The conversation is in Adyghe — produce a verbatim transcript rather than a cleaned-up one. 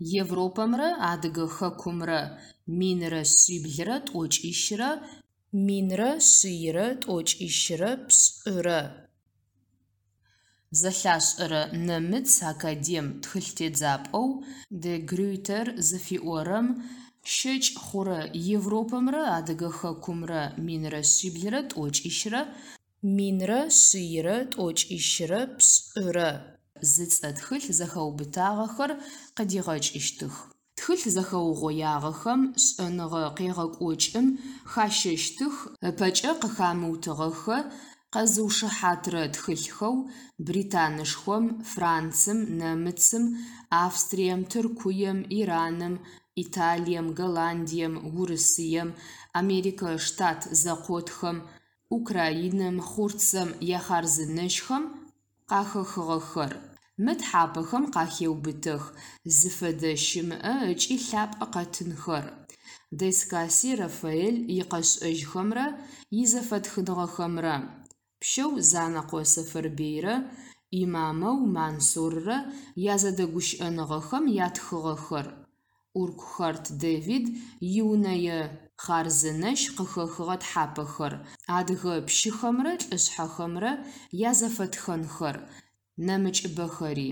Европэмрэ Адыгэ хэкумрэ минрэ шъиблрэ тӏокӏищрэ минрэ шъийрэ тӏокӏищрэ пшӏырэ. Зэлъашӏэрэ нэмыц академ тхылътедзапӏэу Де Грюйтер зыфиӏорэм щэкӏ хъурэ «Европэмрэ Адыгэ хэкумрэ минрэ шъиблрэ тӏокӏищрэ минрэ шъийрэ тӏокӏищрэ пшӏырэ» зыцӏэ тхылъ зэхэубытагъэхэр къыдигъэкӏыщтых. Тхылъ зэхэугъоягъэхэм шӏэныгъэ къегъэкӏокӏым хащэщтых ыпэкӏэ къыхамыутыгъэхэ къэзыушыхьатырэ тхылъхэу Британышхом, Францым, Нэмыцым, Австрием, Тыркуем, Ираным, Италием, Голландием, Урысыем, Америкэ Штат Зэкъотхэм, Украинэм, Хъурцэм яхъарзынэщхэм къахэхыгъэхэр. Мы тхьапэхэм къахеубытэх зыфэдэ щымыӏэ ыкӏи лъапӏэ къэтынхэр: Де-Скаси Рафаэль икъэшӏэжьхэмрэ изэфэтхыныгъэхэмрэ, пщэу Занэкъо Сэфэрбыйрэ имамэу Мансуррэ язэдэгущыӏэныгъэхэм ятхыгъэхэр, Уркухарт Дэвид иунэе хъарзынэщ къыхэхыгъэ тхьапэхэр, адыгэ пщыхэмрэ лӏышъхьэхэмрэ язэфэтхэнхэр, нэмыкӏыбэхэри.